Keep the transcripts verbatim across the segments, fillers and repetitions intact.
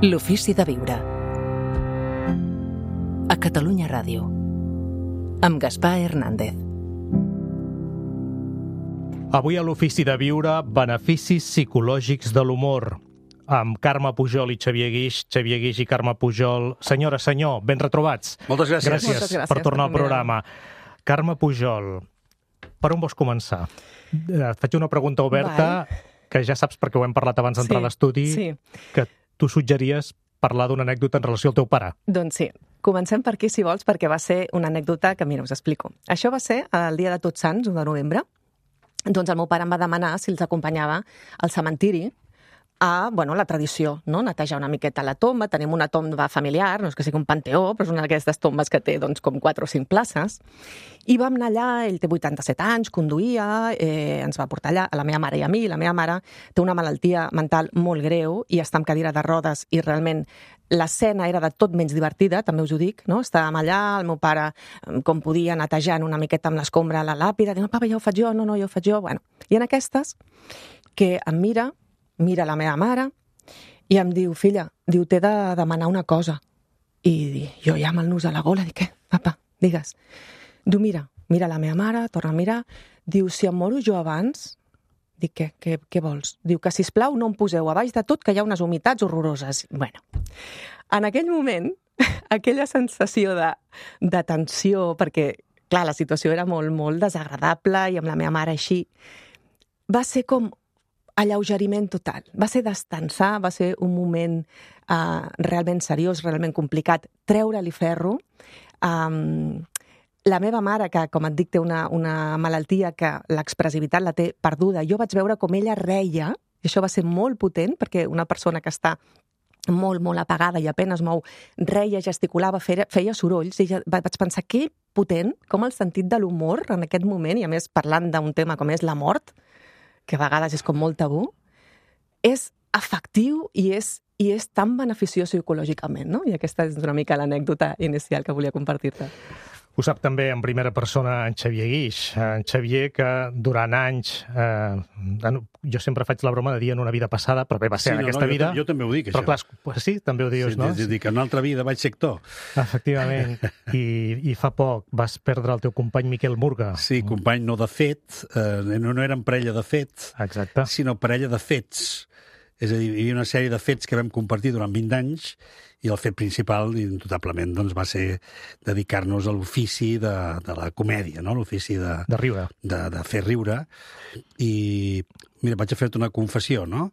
L'ofici de viure. A Catalunya Ràdio. Amb Gaspar Hernández. Avui a l'Ofici de Viure, beneficis psicològics de l'humor. Amb Carme Pujol i Xavier Guix. Xavier Guix i Carme Pujol. Senyora, senyor, ben retrobats. Moltes gràcies. Gràcies, Moltes gràcies per tornar al per programa. Carme Pujol, per on vols començar? Et faig una pregunta oberta, Val. que ja saps perquè ho hem parlat abans d'entrar Sí, a l'estudi, sí. que tu suggeries parlar d'una anècdota en relació al teu pare. Doncs sí. Comencem per aquí, si vols, perquè va ser una anècdota que, mira, us explico. Això va ser el dia de Tots Sants, un de novembre. Doncs el meu pare em va demanar si els acompanyava al cementiri a, bueno, la tradició, no? Netejar una miqueta la tomba. Tenim una tomba familiar, no és que sigui un panteó, però és una d'aquestes tombes que té, doncs, com quatre o cinc places. I vam anar allà, ell té vuitanta-set anys, conduïa, eh, ens va portar allà, a la meva mare i a mi. La meva mare té una malaltia mental molt greu i està en cadira de rodes i realment l'escena era de tot menys divertida, també us ho dic, no? Estàvem allà, el meu pare, com podia, netejant una miqueta amb l'escombra a la làpida, diu, papa, ja ho faig jo, no, no, ja ho faig jo. Bueno, i en aquestes, que em mira, mira la meva mare i em diu, filla, diu, t'he de demanar una cosa. I jo ja amb el nus a la gola, dic, què, papa, digues. Diu, mira, mira la meva mare, torna a mirar, diu, si em moro jo abans, dic, què, què, què vols? Diu que, sisplau, no em poseu a baix de tot, que hi ha unes humitats horroroses. Bueno, en aquell moment, aquella sensació de, de tensió, perquè, clar, la situació era molt, molt desagradable i amb la meva mare així, va ser com alleugeriment total. Va ser destensar, va ser un moment uh, realment seriós, realment complicat, treure-li ferro. Um, la meva mare, que, com et dic, té una, una malaltia que l'expressivitat la té perduda, jo vaig veure com ella reia, i això va ser molt potent, perquè una persona que està molt, molt apagada i apenes mou, reia, gesticulava, feia, feia sorolls, i ja vaig pensar, que potent, com el sentit de l'humor en aquest moment, i a més parlant d'un tema com és la mort, que a vegades és com molt tabú, és efectiu i és, i és tan beneficiós psicològicament, no? I aquesta és una mica l'anècdota inicial que volia compartir-te. Ho sap també en primera persona en Xavier Guix. En Xavier, que durant anys... Eh, jo sempre faig la broma de dir en una vida passada, però bé, va ser sí, en no, aquesta no, vida... Jo, jo també ho dic, però, això. Però clar, sí, també ho dius, sí, no? Sí, dic que en una altra vida vaig ser actor. Efectivament. I, I fa poc vas perdre el teu company Miquel Murga. Sí, company no de fet, eh, no, no eren parella de fet, Exacte. sinó parella de fets. És a dir, hi havia una sèrie de fets que vam compartir durant vint anys i el fet principal, indubtablement, doncs, va ser dedicar-nos a l'ofici de, de la comèdia, no? L'ofici de, De riure. de, de fer riure. I, mira, vaig a fer-te una confessió, no?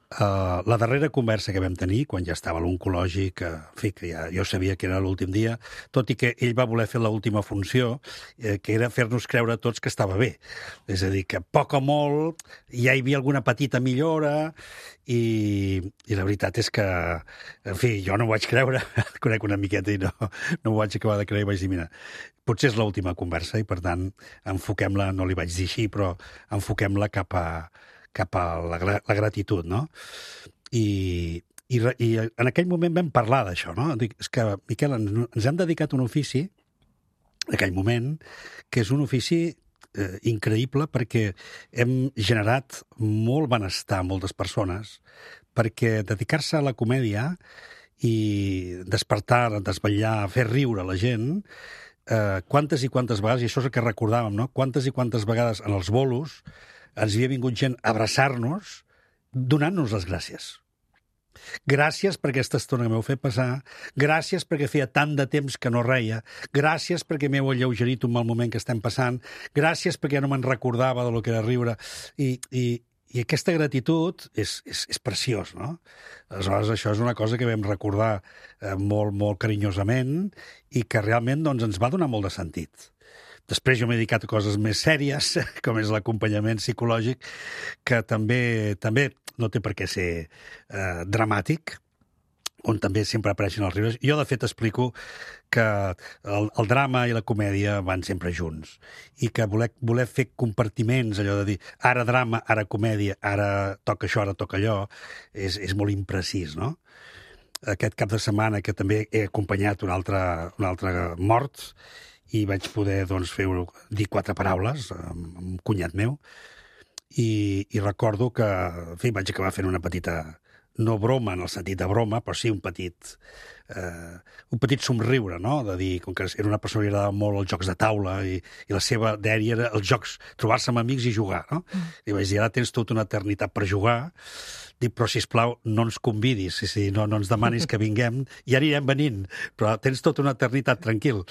Uh, la darrera conversa que vam tenir, quan ja estava a l'oncològic, uh, en fi, que ja, jo sabia que era l'últim dia, tot i que ell va voler fer l'última funció, eh, que era fer-nos creure a tots que estava bé. És a dir, que poc o molt ja hi havia alguna petita millora i, i la veritat és que, en fi, jo no ho vaig creure, conec una miqueta i no, no ho vaig acabar de creure i vaig dir, mira, potser és l'última conversa i, per tant, enfoquem-la, no li vaig dir així, però enfoquem-la cap a cap a la, la gratitud, no? I, i, I en aquell moment vam parlar d'això, no? Dic, és que, Miquel, ens, ens hem dedicat a un ofici, en aquell moment, que és un ofici eh, increïble perquè hem generat molt benestar a moltes persones, perquè dedicar-se a la comèdia i despertar, desvetllar, fer riure la gent, eh, quantes i quantes vegades, i això és el que recordàvem, no? Quantes i quantes vegades en els bolos ens havia vingut gent a abraçar-nos donant-nos les gràcies. Gràcies per aquesta estona que m'heu fet passar, gràcies perquè feia tant de temps que no reia, gràcies perquè m'heu alleugerit un mal moment que estem passant, gràcies perquè no me'n recordava de lo que era riure. I, i, i aquesta gratitud és, és, és preciós, no? Aleshores, això és una cosa que vam recordar eh, molt, molt carinyosament i que realment doncs, ens va donar molt de sentit. Després jo m'he dedicat a coses més sèries, com és l'acompanyament psicològic, que també també no té per què ser eh, dramàtic, on també sempre apareixen els riures. Jo, de fet, explico que el, el drama i la comèdia van sempre junts i que voler, voler fer compartiments, allò de dir ara drama, ara comèdia, ara toca això, ara toca allò, és, és molt imprecís, no? Aquest cap de setmana que també he acompanyat una altra, una altra mort i vaig poder doncs, fer, dir quatre paraules amb un cunyat meu i, i recordo que en fi, vaig acabar fent una petita no broma en el sentit de broma, però sí un petit, eh, un petit somriure, no? De dir, com que era una persona que li agradava molt els jocs de taula i, i la seva dèria era els jocs, trobar-se amb amics i jugar, no? Mm. I vaig dir, ara tens tota una eternitat per jugar, dic, però, sisplau, no ens convidis, si, si, no, no ens demanis que vinguem, i anirem venint, però tens tota una eternitat, tranquil.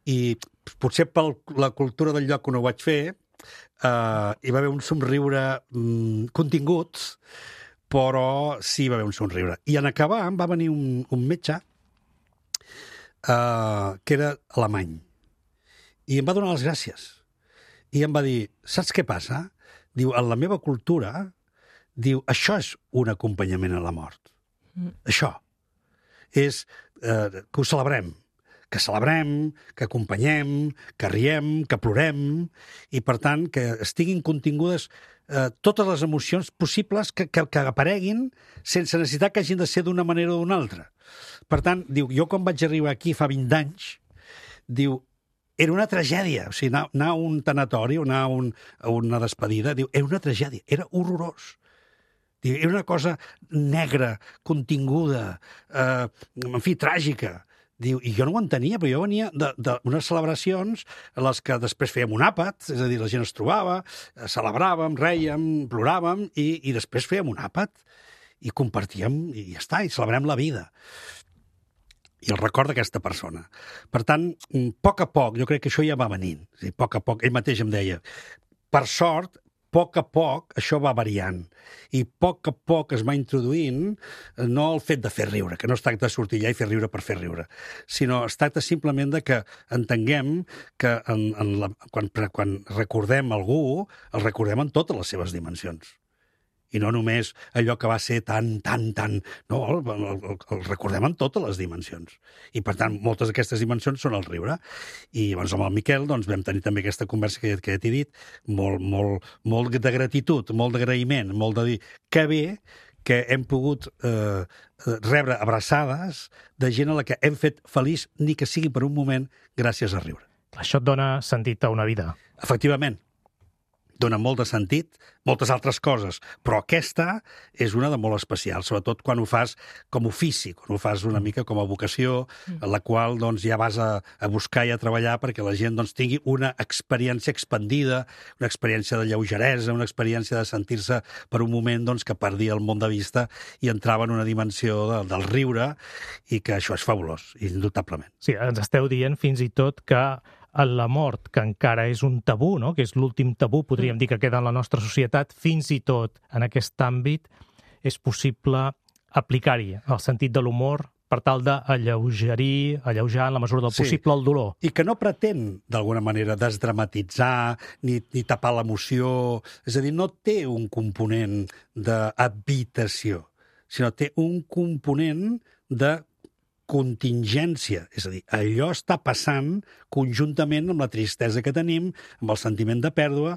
I potser per la cultura del lloc on ho vaig fer, eh, hi va haver un somriure mm, contingut, però sí va haver un somriure. I en acabar em va venir un, un metge eh, que era alemany, i em va donar les gràcies. I em va dir, saps què passa? Diu, en la meva cultura, diu, això és un acompanyament a la mort. Mm. Això. És eh, que ho celebrem. Que celebrem, que acompanyem, que riem, que plorem, i, per tant, que estiguin contingudes eh, totes les emocions possibles que, que, que apareguin sense necessitar que hagin de ser d'una manera o d'una altra. Per tant, diu, jo quan vaig arribar aquí fa vint anys, diu, era una tragèdia. O sigui, anar, anar a un tanatori o anar a, un, a una despedida, diu, era una tragèdia, era horrorós. Diu, era una cosa negra, continguda, eh, en fi, tràgica. Diu, i jo no ho entenia, però jo venia d'unes celebracions a les que després fèiem un àpat, és a dir, la gent es trobava, celebràvem, rèiem, ploràvem, i, i després fèiem un àpat, i compartíem, i ja està, i celebrem la vida. I el record d'aquesta persona. Per tant, a poc a poc, jo crec que això ja va venint. A poc a poc, ell mateix em deia, per sort, a poc a poc això va variant, i a poc a poc es va introduint no el fet de fer riure, que no es tracta de sortir allà i fer riure per fer riure, sinó es tracta simplement de que entenguem que en, en la, quan, quan recordem algú, el recordem en totes les seves dimensions. I no només allò que va ser tan, tan, tan... No, el, el, el recordem en totes les dimensions. I, per tant, moltes d'aquestes dimensions són el riure. I llavors amb el Miquel doncs, vam tenir també aquesta conversa que, que ja t'he dit, molt, molt, molt de gratitud, molt d'agraïment, molt de dir que bé que hem pogut eh, rebre abraçades de gent a la que hem fet feliç, ni que sigui per un moment, gràcies a riure. Això et dona sentit a una vida. Efectivament. Dona molt de sentit, moltes altres coses, però aquesta és una de molt especial, sobretot quan ho fas com ofici, quan ho fas una mica com a vocació, en la qual doncs, ja vas a, a buscar i a treballar perquè la gent doncs, tingui una experiència expandida, una experiència de lleugeresa, una experiència de sentir-se per un moment doncs, que perdia el món de vista i entrava en una dimensió de, del riure, i que això és fabulós, indubtablement. Sí, ens esteu dient fins i tot que la mort, que encara és un tabú, no? Que és l'últim tabú, podríem dir, que queda en la nostra societat, fins i tot en aquest àmbit és possible aplicar-hi el sentit de l'humor per tal d'alleugerir, alleujar en la mesura del possible, sí, el dolor. I que no pretén, d'alguna manera, desdramatitzar ni, ni tapar l'emoció. És a dir, no té un component d'habitació, sinó té un component de contingència, és a dir, allò està passant conjuntament amb la tristesa que tenim, amb el sentiment de pèrdua,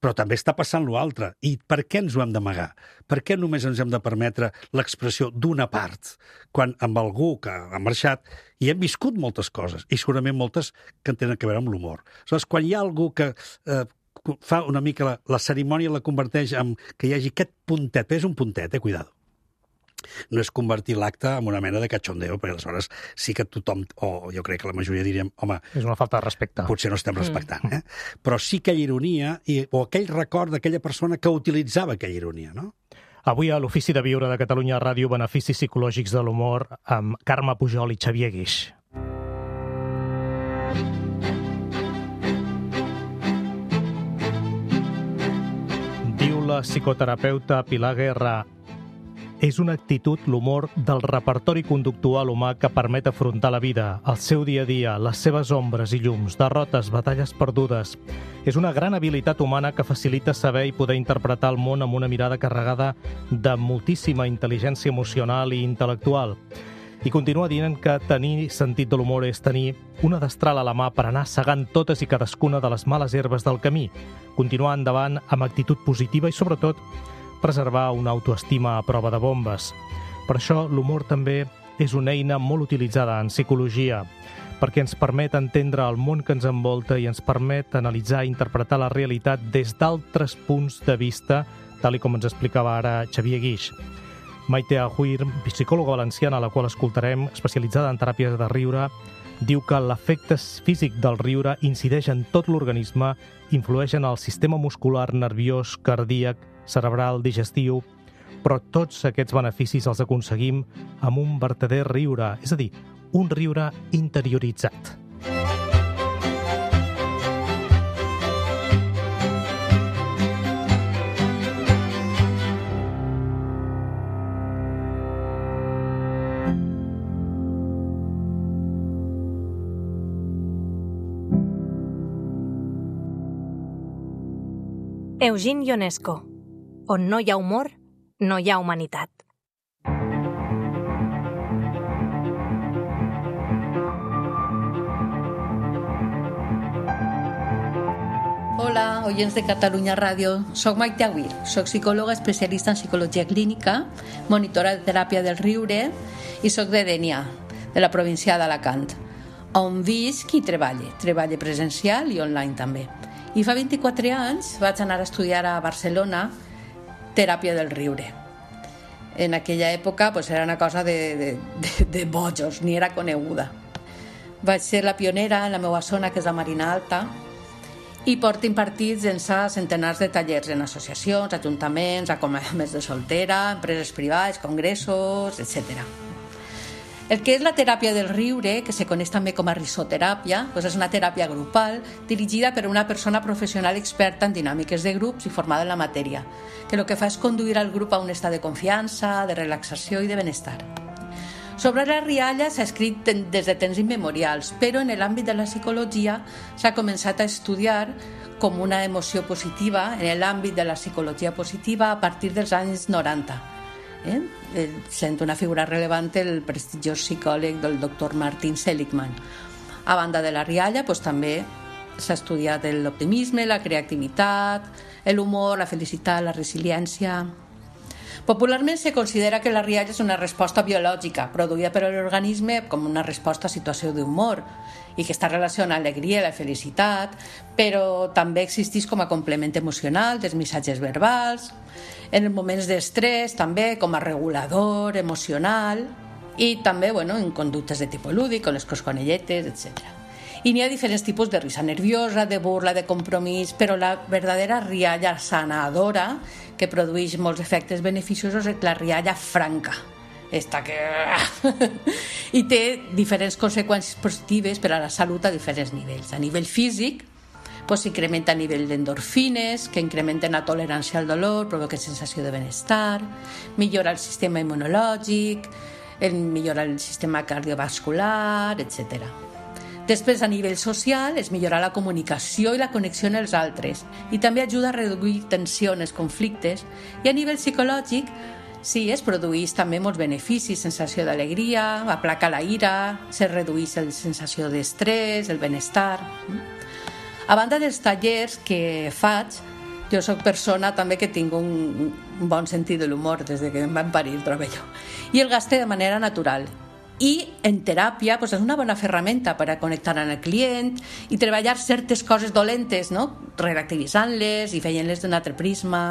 però també està passant l'altre. I per què ens ho hem d'amagar? Per què només ens hem de permetre l'expressió d'una part, quan amb algú que ha marxat hi hem viscut moltes coses, i segurament moltes que tenen a veure amb l'humor. Aleshores, quan hi ha algú que eh, fa una mica la, la cerimònia, la converteix en que hi hagi aquest puntet, però és un puntet, eh, cuidado. No és convertir l'acte en una mena de cachondeo, perquè aleshores sí que tothom, o jo crec que la majoria diríem, home... És una falta de respecte. Potser no estem respectant, eh? Però sí que hi ha ironia, i, o aquell record d'aquella persona que utilitzava aquella ironia, no? Avui a l'Ofici de Viure de Catalunya Ràdio, beneficis psicològics de l'humor amb Carme Pujol i Xavier Guix. Diu la psicoterapeuta Pilar Guerra: és una actitud, l'humor, del repertori conductual humà que permet afrontar la vida, el seu dia a dia, les seves ombres i llums, derrotes, batalles perdudes. És una gran habilitat humana que facilita saber i poder interpretar el món amb una mirada carregada de moltíssima intel·ligència emocional i intel·lectual. I continua dient que tenir sentit de l'humor és tenir una destral a la mà per anar segant totes i cadascuna de les males herbes del camí, continuar endavant amb actitud positiva i, sobretot, preservar una autoestima a prova de bombes. Per això, l'humor també és una eina molt utilitzada en psicologia, perquè ens permet entendre el món que ens envolta i ens permet analitzar i interpretar la realitat des d'altres punts de vista, tal com ens explicava ara Xavier Guix. Maite Ahuir, psicòloga valenciana, a la qual escoltarem, especialitzada en teràpies de riure, diu que l'efecte físic del riure incideix en tot l'organisme, influeix en el sistema muscular, nerviós, cardíac, cerebral, digestiu, però tots aquests beneficis els aconseguim amb un vertader riure, és a dir, un riure interioritzat. Eugene Ionesco. On no hi ha humor, no hi ha humanitat. Hola, oients de Catalunya Ràdio. Soc Maite Ahuir, soc psicòloga especialista en psicologia clínica, monitora de teràpia del riure i soc de Dénia, de la província d'Alacant, on visc i treballo, treballo presencial i online també. I fa vint-i-quatre anys vaig anar a estudiar a Barcelona teràpia del riure. En aquella època pues, era una cosa de, de, de, de bojos, ni era coneguda. Vaig ser la pionera en la meva zona, que és la Marina Alta, i porto impartits en centenars de tallers en associacions, ajuntaments, acomiadaments de soltera, empreses privades, congressos, etcètera. El que és la teràpia del riure, que se coneix també com a risoteràpia, doncs és una teràpia grupal dirigida per una persona professional experta en dinàmiques de grups i formada en la matèria, que el que fa és conduir al grup a un estat de confiança, de relaxació i de benestar. Sobre la rialla s'ha escrit des de temps immemorials, però en l'àmbit de la psicologia s'ha començat a estudiar com una emoció positiva en l'àmbit de la psicologia positiva a partir dels anys noranta. Eh? Sent una figura rellevant el prestigiós psicòleg del doctor Martin Seligman. A banda de la rialla, doncs, també s'ha estudiat l'optimisme, la creativitat, l'humor, la felicitat, la resiliència. Popularment se considera que la rialla és una resposta biològica produïda per l'organisme com una resposta a situació d'humor i que està relacionada amb l'alegria i la felicitat, però també existeix com a complement emocional dels missatges verbals, en moments d'estrès també com a regulador emocional i també bueno, en conductes de tipus lúdic, com les cosconelletes, etcètera. I n'hi ha diferents tipus de risa nerviosa, de burla, de compromís, però la verdadera rialla sanadora, que produeix molts efectes beneficiosos, és la rialla franca. Esta que... I té diferents conseqüències positives per a la salut a diferents nivells. A nivell físic, pues, s'incrementa a nivell d'endorfines, que incrementen la tolerància al dolor, provoca sensació de benestar, millora el sistema immunològic, millora el sistema cardiovascular, etcètera. Després, a nivell social, és millorar la comunicació i la connexió amb els altres i també ajuda a reduir tensions, conflictes, i a nivell psicològic, sí, es produeix també molts beneficis, sensació d'alegria, aplaca la ira, se redueix la sensació d'estrès, el benestar. A banda dels tallers que faig, jo soc persona també que tinc un bon sentit de l'humor des que em van parir, trobo jo, i el gaste de manera natural. I en teràpia pues, és una bona ferramenta per a connectar amb el client i treballar certes coses dolentes, no? Relativitzant-les i fent-les d'un altre prisma.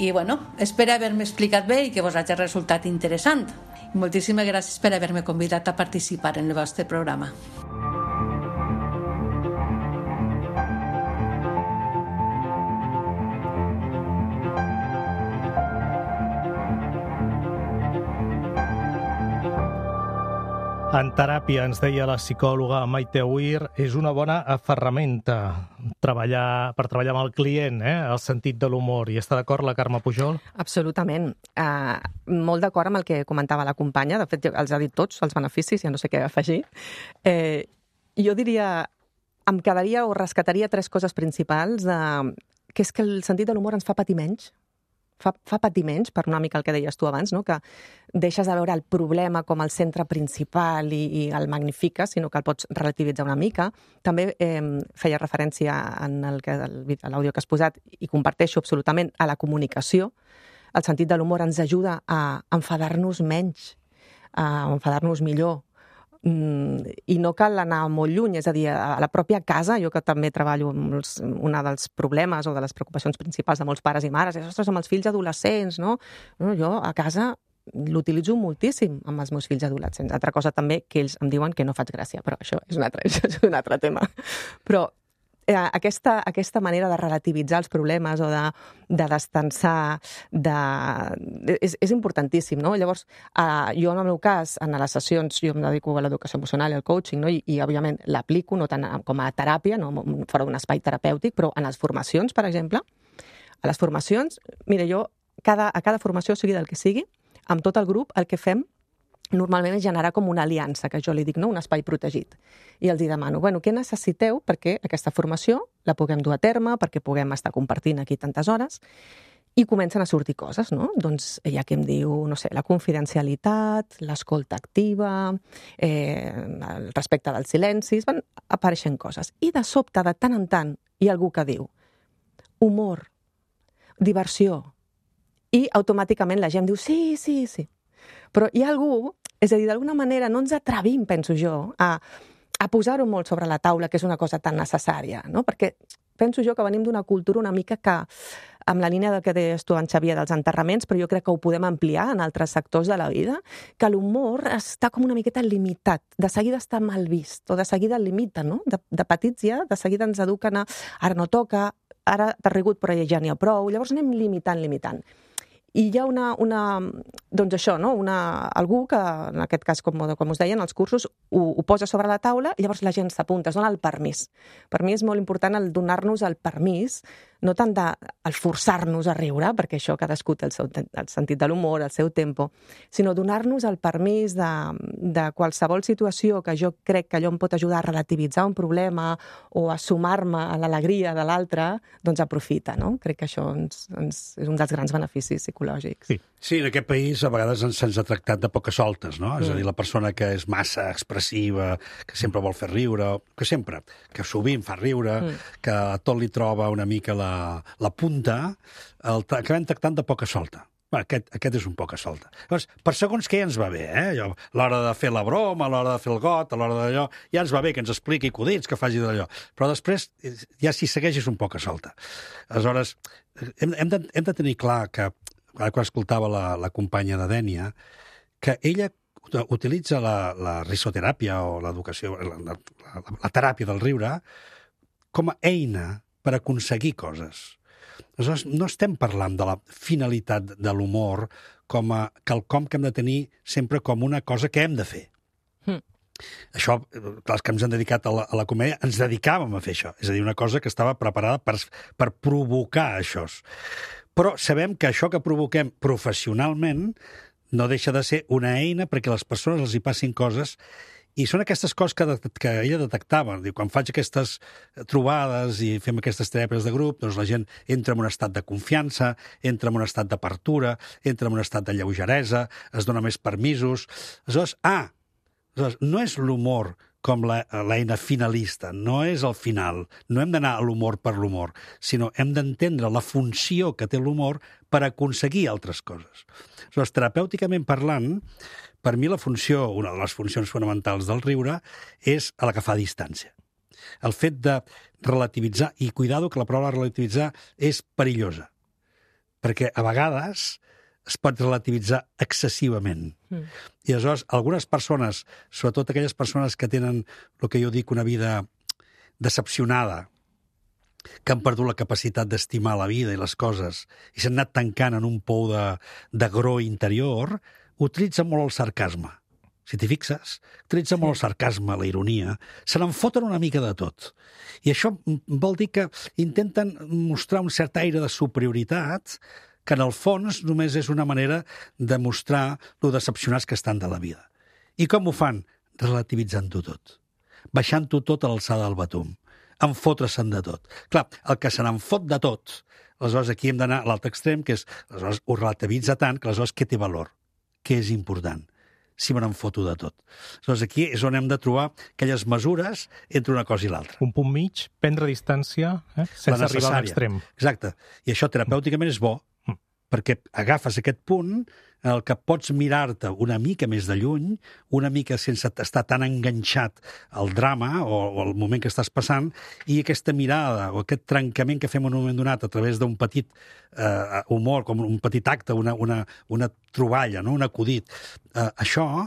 I bueno, espero haver-me explicat bé i que vos hagi resultat interessant. I moltíssimes gràcies per haver-me convidat a participar en el vostre programa. En teràpia, ens deia la psicòloga Maite Ahuir, és una bona ferramenta treballar, per treballar amb el client, eh? El sentit de l'humor. I està d'acord la Carme Pujol? Absolutament. Uh, molt d'acord amb el que comentava la companya. De fet, els ha dit tots, els beneficis, ja no sé què afegir. Eh, jo diria, em quedaria o rescataria tres coses principals, de, que és que el sentit de l'humor ens fa patir menys. Fa, fa patir menys, per una mica el que deies tu abans, no? Que deixes de veure el problema com el centre principal i, i el magnifiques, sinó que el pots relativitzar una mica. També eh, feia referència en el que, a l'àudio que has posat, i comparteixo absolutament, a la comunicació. El sentit de l'humor ens ajuda a enfadar-nos menys, a enfadar-nos millor, i no cal anar molt lluny, és a dir, a la pròpia casa, jo que també treballo amb els, una dels problemes o de les preocupacions principals de molts pares i mares, és, ostres, amb els fills adolescents, no? No, jo a casa l'utilitzo moltíssim amb els meus fills adolescents. Altra cosa també que ells em diuen que no faig gràcia, però això és un altre, això és un altre tema. Però eh, aquesta, aquesta manera de relativitzar els problemes o de, de destensar, de... és, és importantíssim, no? Llavors, eh, jo en el meu cas, en les sessions, jo em dedico a l'educació emocional i al coaching, no? I, i òbviament l'aplico no tant com a teràpia, no? Fora d'un espai terapèutic, però en les formacions, per exemple, a les formacions, mira, jo cada, a cada formació, sigui del que sigui, amb tot el grup, el que fem normalment és generar com una aliança, que jo li dic, no? Un espai protegit. I els hi demano, bueno, què necessiteu perquè aquesta formació la puguem dur a terme, perquè puguem estar compartint aquí tantes hores, i comencen a sortir coses, no? Doncs hi ha qui em diu, no sé, la confidencialitat, l'escolta activa, eh, el respecte dels silencis, van apareixent coses. I de sobte, de tant en tant, hi ha algú que diu humor, diversió, i automàticament la gent diu sí, sí, sí. Però hi ha algú, és a dir, d'alguna manera no ens atrevim, penso jo, a, a posar-ho molt sobre la taula, que és una cosa tan necessària, no? Perquè penso jo que venim d'una cultura una mica que, amb la línia del que deies tu, en Xavier, dels enterraments, però jo crec que ho podem ampliar en altres sectors de la vida, que l'humor està com una miqueta limitat, de seguida està mal vist, o de seguida el limita, no? De, de petits ja, de seguida ens eduquen a ara no toca, ara t'has rigut però ja n'hi ha prou, llavors anem limitant, limitant. I hi ha una, una doncs això, no? Una, algú que, en aquest cas, com, com us deien, els cursos ho, ho posa sobre la taula i llavors la gent s'apunta, es dona el permís. Per mi és molt important el donar-nos el permís, no tant de el forçar-nos a riure, perquè això cadascú té el, seu, el sentit de l'humor, el seu tempo, sinó donar-nos el permís de, de qualsevol situació que jo crec que allò em pot ajudar a relativitzar un problema o a sumar-me a l'alegria de l'altre, doncs aprofita, no? Crec que això ens, ens és un dels grans beneficis psicològics. Sí. Sí, en aquest país a vegades ens, se'ns ha tractat de poques soltes, no? Mm. És a dir, la persona que és massa expressiva, que sempre vol fer riure, que sempre, que sovint fa riure, mm. que a tot li troba una mica la, la punta, el acabem tractant de poca solta. Bé, aquest, aquest és un poca solta. Llavors, per segons què ja ens va bé, eh? A l'hora de fer la broma, a l'hora de fer el got, a l'hora d'allò, ja ens va bé que ens expliqui acudits, que faci d'allò. Però després, ja si segueix és un poca solta. Aleshores, hem, hem, de, hem de tenir clar que ara quan escoltava la, la companya de Dènia, que ella utilitza la, la risoteràpia o l'educació, la, la, la, la teràpia del riure com a eina per aconseguir coses. Aleshores, no estem parlant de la finalitat de l'humor com a quelcom que hem de tenir sempre com una cosa que hem de fer. Mm. Això, clar, que ens hem dedicat a la, a la comèdia, ens dedicàvem a fer això. És a dir, una cosa que estava preparada per, per provocar això. Però sabem que això que provoquem professionalment no deixa de ser una eina perquè les persones els hi passin coses, i són aquestes coses que, de, que ella detectava. Diu, quan faig aquestes trobades i fem aquestes teràpies de grup, doncs la gent entra en un estat de confiança, entra en un estat d'apertura, entra en un estat de lleugeresa, es dona més permisos. Aleshores, ah, aleshores, no és l'humor com l'eina finalista, no és el final. No hem d'anar a l'humor per l'humor, sinó hem d'entendre la funció que té l'humor per aconseguir altres coses. Aleshores, terapèuticament parlant, per mi la funció, una de les funcions fonamentals del riure, és a la que fa distància. El fet de relativitzar, i cuidado que la paraula relativitzar és perillosa, perquè a vegades es pot relativitzar excessivament. Mm. I aleshores, algunes persones, sobretot aquelles persones que tenen el que jo dic una vida decepcionada, que han perdut la capacitat d'estimar la vida i les coses, i s'han anat tancant en un pou de, de gro interior, utilitzen molt el sarcasme. Si t'hi fixes, utilitzen sí. molt el sarcasme, la ironia, se n'en foten una mica de tot. I això vol dir que intenten mostrar un cert aire de superioritat que en el fons només és una manera de mostrar lo decepcionats que estan de la vida. I com ho fan? Relativitzant-ho tot. Baixant-ho tot a l'alçada del batum. Enfotre-se'n de tot. Clar, el que se n'en fot de tot, aleshores aquí hem d'anar a l'altre extrem, que és, aleshores ho relativitza tant, que aleshores què té valor? Què és important? Si me n'en foto de tot. Aleshores aquí és on hem de trobar aquelles mesures entre una cosa i l'altra. Un punt mig, prendre distància, eh? sense arribar a l'extrem. Exacte. I això terapèuticament és bo, perquè agafes aquest punt en el que pots mirar-te una mica més de lluny, una mica sense estar tan enganxat al drama o, o al moment que estàs passant, i aquesta mirada o aquest trencament que fem en un moment donat a través d'un petit eh, humor, com un petit acte, una, una, una troballa, no? Un acudit, eh, això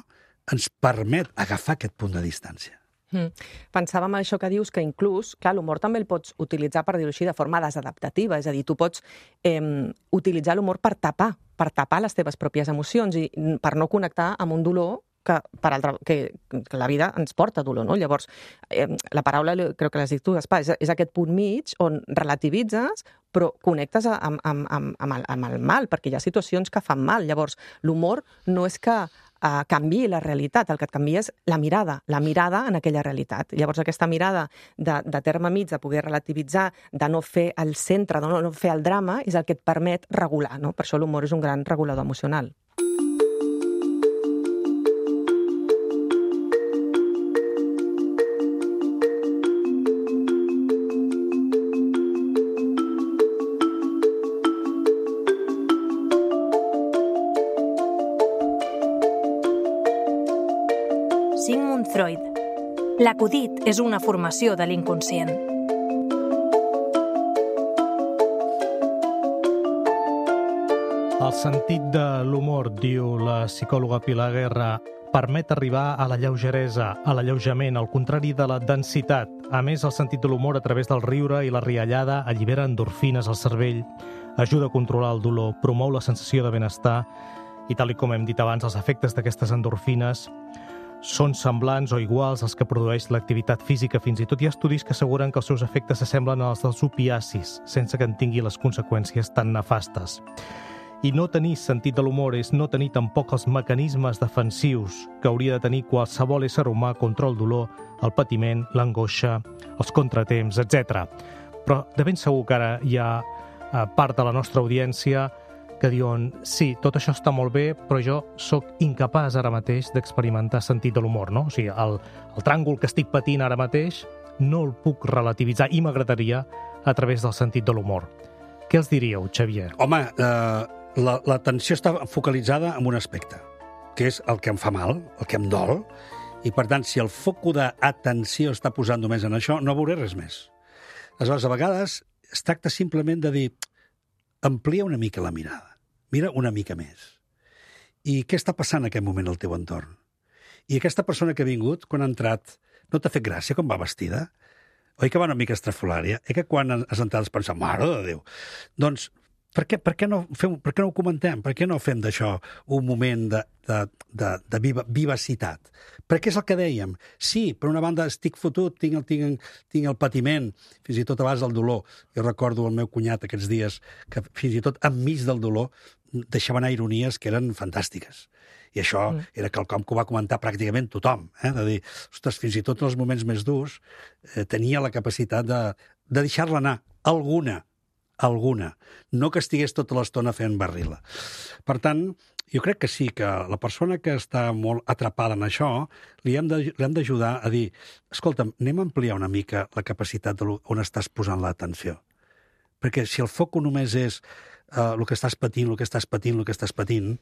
ens permet agafar aquest punt de distància. Mm. Pensàvem això que dius, que inclús, clar, l'humor també el pots utilitzar, per dir-ho així, de forma desadaptativa, és a dir, tu pots eh, utilitzar l'humor per tapar, per tapar les teves pròpies emocions i per no connectar amb un dolor que, per altra, que, que la vida ens porta dolor, no? Llavors, eh, la paraula, crec que l'has dit tu, Gaspar, és, és aquest punt mig on relativitzes, però connectes amb, amb, amb, amb, el, amb el mal, perquè hi ha situacions que fan mal. Llavors, l'humor no és que Uh, canvi la realitat, el que et canvia és la mirada, la mirada en aquella realitat. Llavors aquesta mirada de, de terme mig, de poder relativitzar, de no fer el centre, de no, no fer el drama, és el que et permet regular, no? Per això l'humor és un gran regulador emocional. Sigmund Freud. L'acudit és una formació de l'inconscient. El sentit de l'humor, diu la psicòloga Pilar Guerra, permet arribar a la lleugeresa, a l'alleujament, al contrari de la densitat. A més, el sentit de l'humor a través del riure i la riallada allibera endorfines al cervell, ajuda a controlar el dolor, promou la sensació de benestar i, tal com hem dit abans, els efectes d'aquestes endorfines són semblants o iguals als que produeix l'activitat física. Fins i tot hi ha estudis que asseguren que els seus efectes s'assemblen als dels opiacis, sense que en tingui les conseqüències tan nefastes. I no tenir sentit de l'humor és no tenir tampoc els mecanismes defensius que hauria de tenir qualsevol ésser humà contra el dolor, el patiment, l'angoixa, els contratemps, etcètera. Però de ben segur que ara hi ha part de la nostra audiència que diuen, sí, tot això està molt bé, però jo sóc incapaç ara mateix d'experimentar sentit de l'humor, no? O sigui, el, el tràngol que estic patint ara mateix no el puc relativitzar i m'agradaria a través del sentit de l'humor. Què els diríeu, Xavier? Home, eh, la, l'atenció està focalitzada en un aspecte, que és el que em fa mal, el que em dol, i per tant, si el foc d'atenció està posant només en això, no veuré res més. Aleshores, a vegades es tracta simplement de dir, amplia una mica la mirada. Mira una mica més. I què està passant en aquest moment al teu entorn? I aquesta persona que ha vingut, quan ha entrat, no t'ha fet gràcia com va vestida? Oi que va una mica estrafolària? Eh que quan has entrat has pensat, mare de Déu? Doncs, per què, per què, no, fem, per què no ho comentem? Per què no fem d'això un moment de, de, de, de viva, vivacitat? Perquè és el que dèiem. Sí, per una banda estic fotut, tinc el, tinc, tinc el patiment, fins i tot abans del dolor. Jo recordo el meu cunyat aquests dies que fins i tot enmig del dolor deixava anar ironies que eren fantàstiques. I això mm. era quelcom que ho va comentar pràcticament tothom. Eh? De dir, ostres, fins i tot en els moments més durs eh, tenia la capacitat de, de deixar-la anar. Alguna, alguna. No que estigués tota l'estona fent barrila. Per tant, jo crec que sí, que la persona que està molt atrapada en això li hem de, li hem d'ajudar a dir, escolta'm, anem a ampliar una mica la capacitat de on estàs posant l'atenció. Perquè si el foc només és uh, el que estàs patint, el que estàs patint, el que estàs patint,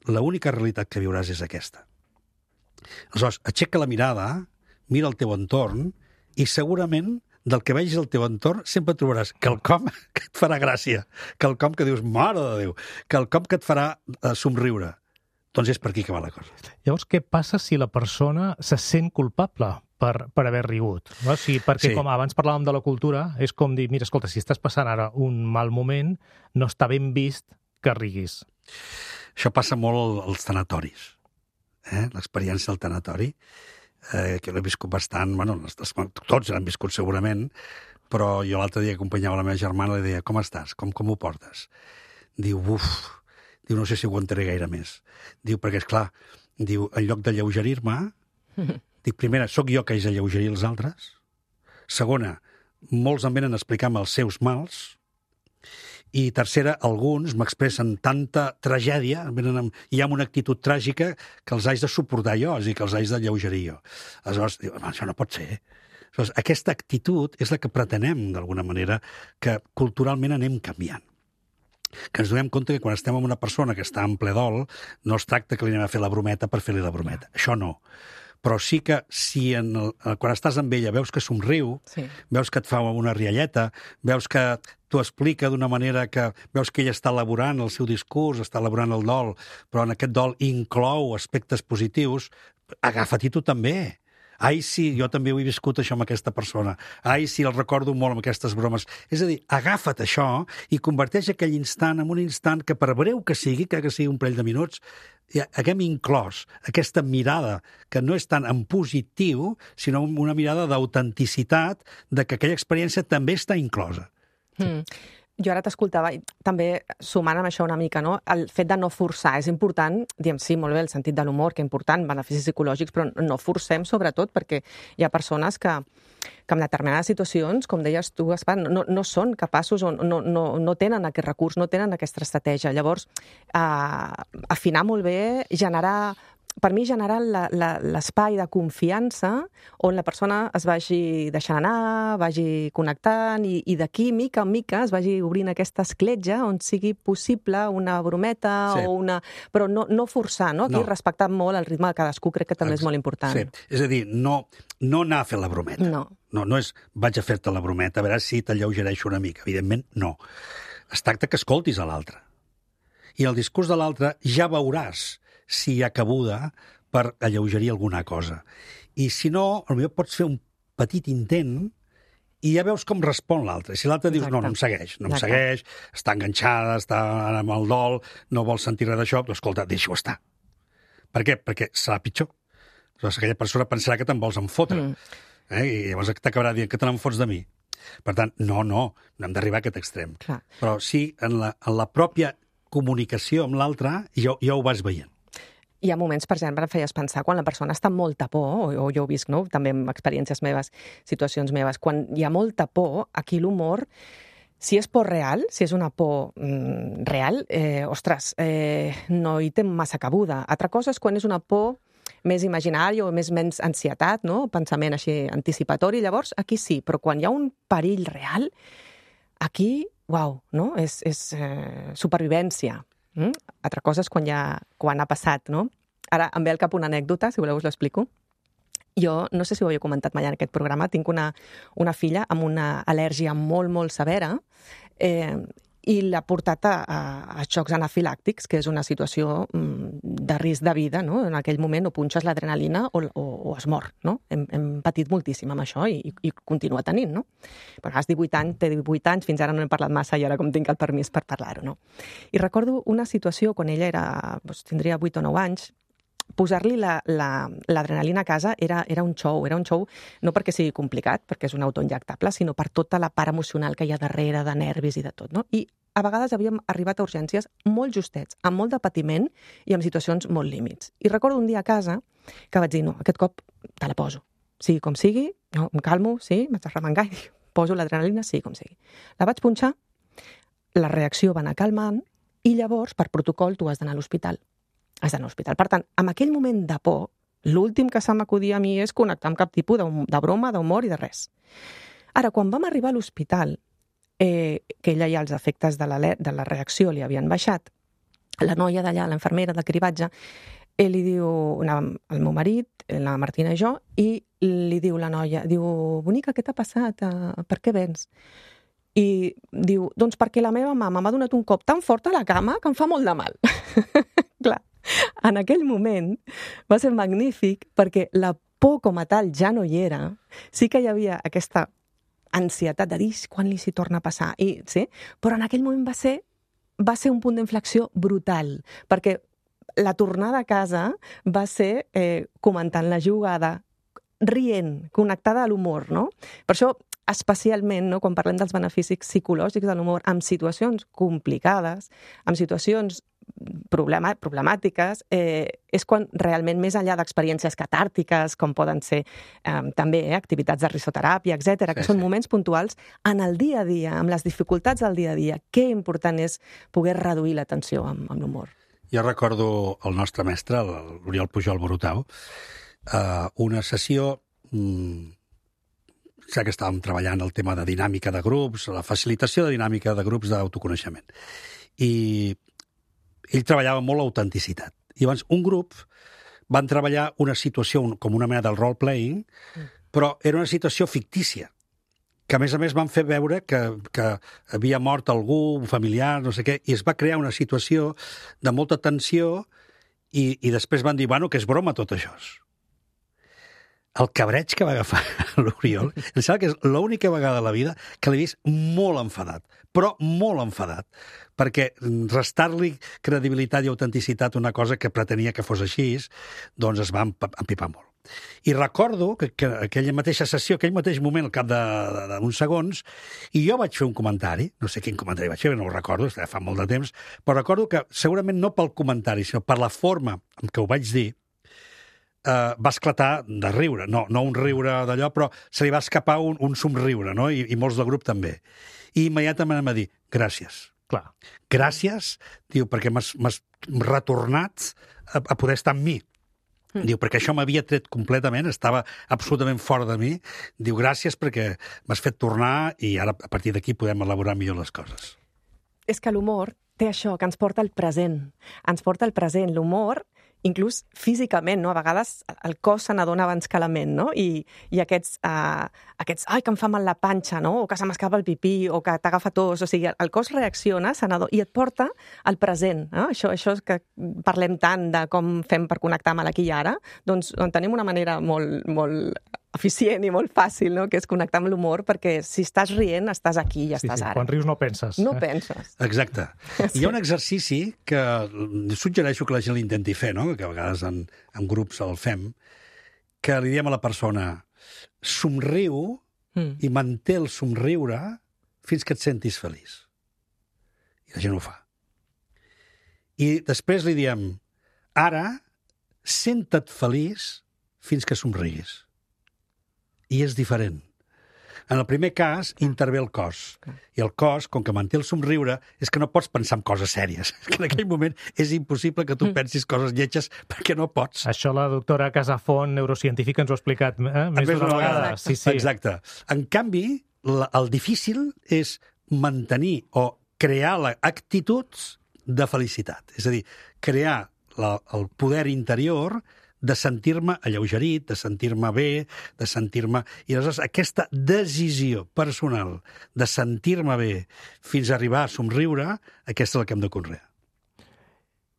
l'única realitat que viuràs és aquesta. Aleshores, aixeca la mirada, mira el teu entorn i segurament del que vegis al teu entorn sempre trobaràs quelcom que et farà gràcia, quelcom que dius, mare de Déu, quelcom que et farà uh, somriure. Doncs és per aquí que va la cosa. Llavors, què passa si la persona se sent culpable per, per haver rigut? No? O sigui, perquè, sí. Com abans parlàvem de la cultura, és com dir, mira, escolta, si estàs passant ara un mal moment, no està ben vist que riguis. Això passa molt als tanatoris. Eh? L'experiència del tanatori, eh, que l'he viscut bastant, bueno, tots l'han viscut segurament, però jo l'altre dia acompanyava la meva germana i li deia, com estàs? Com, com ho portes? Diu, uf, diu, no sé si aguantaré gaire més. Diu, perquè, esclar, diu, en lloc de lleugerir-me, dic, primera, sóc jo que haig de lleugerir els altres. Segona, molts em venen a explicar-me els seus mals. I tercera, alguns m'expressen tanta tragèdia, venen amb, hi ha una actitud tràgica que els haig de suportar jo, és a dir, que els haig de lleugerir jo. Aleshores, diu, això no pot ser. Aleshores, aquesta actitud és la que pretenem, d'alguna manera, que culturalment anem canviant. que ens donem compte que quan estem amb una persona que està en ple dol, no es tracta que li anem a fer la brometa per fer-li la brometa. Això no. Però sí que si en el, quan estàs amb ella veus que somriu, sí. veus que et fa una rialleta, veus que t'ho explica d'una manera que veus que ella està elaborant el seu discurs, està elaborant el dol, però en aquest dol inclou aspectes positius, agafa-t'hi tu també. Ai, sí, jo també ho he viscut això amb aquesta persona. Ai, sí, el recordo molt amb aquestes bromes. És a dir, agafa't això i converteix aquell instant en un instant que, per breu que sigui, que sigui un parell de minuts, ja haguem inclòs aquesta mirada que no és tant en positiu, sinó una mirada d'autenticitat de que aquella experiència també està inclosa. Mm. Jo ara t'escoltava, i també sumant amb això una mica, no? El fet de no forçar. És important, diem, sí, molt bé, el sentit de l'humor, que és important, beneficis psicològics, però no forcem, sobretot, perquè hi ha persones que, que en determinades situacions, com deies tu, Gaspar, no, no són capaços o no, no, no tenen aquest recurs, no tenen aquesta estratègia. Llavors, eh, afinar molt bé, generar... Per mi, generar l'espai de confiança on la persona es vagi deixant anar, vagi connectant i, i d'aquí, mica en mica, es vagi obrint aquesta escletxa on sigui possible una brometa sí. o una... Però no, no forçar, no? Aquí no. Respectar molt el ritme de cadascú crec que també és molt important. Sí. És a dir, no, no anar a fer la brometa. No. No, no és vaig a fer-te la brometa, a veure si t'alleugereixo una mica. Evidentment, no. Es tracta que escoltis a l'altre. I el discurs de l'altre ja veuràs si hi ha cabuda per alleugerir alguna cosa. I si no, potser pots fer un petit intent i ja veus com respon l'altre. Si l'altre dius, no, no em segueix, no em Exacte. segueix, està enganxada, està amb el dol, no vol sentir res d'això, doncs escolta, deixa-ho estar. Per què? Perquè serà pitjor. Llavors, aquella persona pensarà que te'n vols enfotre. Mm. Eh? I llavors t'acabarà dient que te n'enfots de mi. Per tant, no, no, no hem d'arribar a aquest extrem. Clar. Però sí, en la, en la pròpia comunicació amb l'altre ja, ja ho vas veient. Hi ha moments, per exemple, em feies pensar, quan la persona està amb molta por, o, o jo ho visc, no? També amb experiències meves, situacions meves, quan hi ha molta por, aquí l'humor, si és por real, si és una por mm, real, eh, ostres, eh, no hi té massa cabuda. Altra cosa és quan és una por més imaginària o més menys ansietat, no? Pensament així anticipatori, llavors aquí sí, però quan hi ha un perill real, aquí, uau, no? És, és eh, supervivència. Mm? Altra cosa és quan, ja, quan ha passat, no? Ara em ve al cap una anècdota, si voleu us l'explico. Jo, no sé si ho havia comentat mai en aquest programa, tinc una, una filla amb una al·lèrgia molt, molt severa eh, i l'ha portat a, a, a xocs anafilàctics, que és una situació mm, de risc de vida, no? En aquell moment o punxes l'adrenalina o, o, o es mor, no? Hem, hem patit moltíssim amb això i, i continua tenint, no? Però has divuit anys, té divuit anys, fins ara no hem parlat massa i ara com tinc el permís per parlar-ho, no? I recordo una situació quan ella era, doncs, tindria vuit o nou anys, posar-li l'adrenalina a casa era, era un show, era un show no perquè sigui complicat, perquè és un autoinjectable, sinó per tota la part emocional que hi ha darrere, de nervis i de tot, no? I a vegades havíem arribat a urgències molt justets, amb molt de patiment i amb situacions molt límits. I recordo un dia a casa que vaig dir, no, aquest cop te la poso. Sigui com sigui, no, em calmo, sí, m'haig de remengar i poso l'adrenalina, sigui com sigui. La vaig punxar, la reacció va anar calmant i llavors, per protocol, tu has d'anar a l'hospital. Has d'anar a l'hospital. Per tant, en aquell moment de por, l'últim que se m'acudia a mi és connectar amb cap tipus de, de broma, d'humor i de res. Ara, quan vam arribar a l'hospital, eh, que ella ja els efectes de la, de la reacció li havien baixat, la noia d'allà, l'infermera del cribatge, ell li diu, anàvem el meu marit, la Martina i jo, i li diu la noia, diu, bonica, què t'ha passat? Per què vens? I diu, doncs perquè la meva mama m'ha donat un cop tan fort a la cama que em fa molt de mal. Clar, en aquell moment va ser magnífic perquè la por com a tal ja no hi era. Sí que hi havia aquesta ansietat de dir quan li s'hi torna a passar. I, sí? Però en aquell moment va ser, va ser un punt d'inflexió brutal, perquè la tornada a casa va ser eh, comentant la jugada, rient, connectada a l'humor, no? Per això, especialment, no, quan parlem dels beneficis psicològics de l'humor, en situacions complicades, en situacions problema, problemàtiques, eh, és quan realment, més enllà d'experiències catàrtiques, com poden ser eh, també eh, activitats de risoteràpia, etcètera, sí, que són sí. moments puntuals, en el dia a dia, amb les dificultats del dia a dia, què important és poder reduir la tensió amb, amb l'humor. Jo recordo el nostre mestre, l'Oriol Pujol Borutau, eh, una sessió... Mm, ja que estàvem treballant el tema de dinàmica de grups, la facilitació de dinàmica de grups d'autoconeixement. i ell treballava molt l'autenticitat. I llavors un grup van treballar una situació com una mena del role-playing, però era una situació fictícia, que a més a més van fer veure que, que havia mort algú, un familiar, no sé què, i es va crear una situació de molta tensió i, i després van dir, bueno, que és broma tot això. El cabreig que va agafar l'Oriol, em sembla que és l'única vegada a la vida que l'he vist molt enfadat, però molt enfadat, perquè restar-li credibilitat i autenticitat a una cosa que pretenia que fos així, doncs es va empipar molt. I recordo que, que aquella mateixa sessió, aquell mateix moment, al cap d'uns segons, i jo vaig fer un comentari, no sé quin comentari vaig fer, no ho recordo, fa molt de temps, però recordo que segurament no pel comentari, sinó per la forma en què ho vaig dir, Uh, va esclatar de riure, no, no un riure d'allò, però se li va escapar un, un somriure, no? I, i molts del grup també. I immediatament em va dir, gràcies. Clar. Gràcies, diu, perquè m'has retornat a, a poder estar amb mi. Mm. Diu, perquè això m'havia tret completament, estava absolutament fora de mi. Diu, gràcies perquè m'has fet tornar i ara a partir d'aquí podem elaborar millor les coses. És que l'humor té això, que ens porta al present. Ens porta al present. L'humor, inclús físicament, no? A vegades el cos se n'adona abans que la ment, no? I, i aquests, uh, aquests, ai, que em fa mal la panxa, no? O que se m'escapa el pipí, o que t'agafa tos, o sigui, el cos reacciona se n'adona, i et porta al present, no? Això, això és que parlem tant de com fem per connectar amb l'aquí i ara, doncs tenim una manera molt, molt eficient i molt fàcil, no? Que és connectar amb l'humor, perquè si estàs rient, estàs aquí i sí, estàs sí. ara. Quan rius no penses. No eh? penses. Exacte. Sí. Hi ha un exercici que suggereixo que la gent l'intenti fer, no? Que a vegades en, en grups el fem, que li diem a la persona, somriu mm. i manté el somriure fins que et sentis feliç. I la gent ho fa. I després li diem, ara, senta't feliç fins que somriguis. I és diferent. En el primer cas, intervé el cos. I el cos, com que manté el somriure, és que no pots pensar en coses sèries. Que en aquell moment és impossible que tu pensis coses lletges perquè no pots. Això la doctora Casafont, neurocientífica, ens ho ha explicat eh? més d'una vegada. Sí, sí. Exacte. En canvi, la, el difícil és mantenir o crear actituds de felicitat. És a dir, crear la, el poder interior de sentir-me alleugerit, de sentir-me bé, de sentir-me... I aleshores aquesta decisió personal de sentir-me bé fins a arribar a somriure, aquesta és la que hem de conrear.